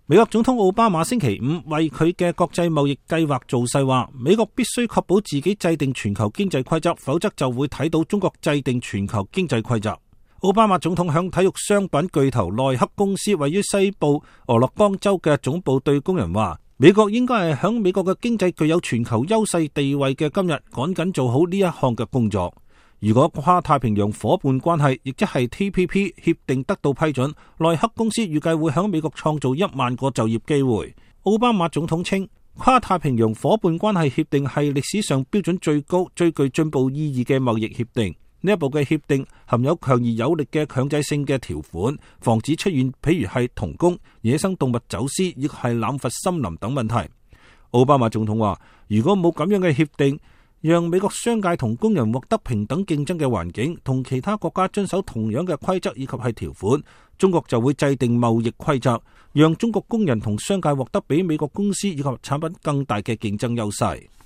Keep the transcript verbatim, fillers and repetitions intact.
美國總統奧巴馬星期五為佢嘅國際貿易計劃造勢，話美國必須確保自己制定全球經濟規則，否則就會睇到中國制定全球經濟規則。奧巴馬總統向體育商品巨頭耐克公司位於西部俄勒岡州嘅總部對工人話，美國應該係響美國嘅經濟具有全球優勢地位嘅今日，趕緊做好呢一項嘅工作。如果跨太平洋夥伴關係，亦即係 T P P 協定得到批准，耐克公司預計會響美國創造一萬個就業機會。奧巴馬總統稱，跨太平洋夥伴關係協定係歷史上標準最高、最具進步意義嘅貿易協定。呢一部嘅協定含有強而有力嘅強制性嘅條款，防止出現譬如係童工、野生動物走私，亦係濫伐森林等問題。奧巴馬總統話，如果冇咁樣嘅協定，讓美國商界同工人獲得平等競爭嘅環境，同其他國家遵守同樣嘅規則以及係條款，中國就會制定貿易規則，讓中國工人同商界獲得比美國公司以及產品更大嘅競爭優勢。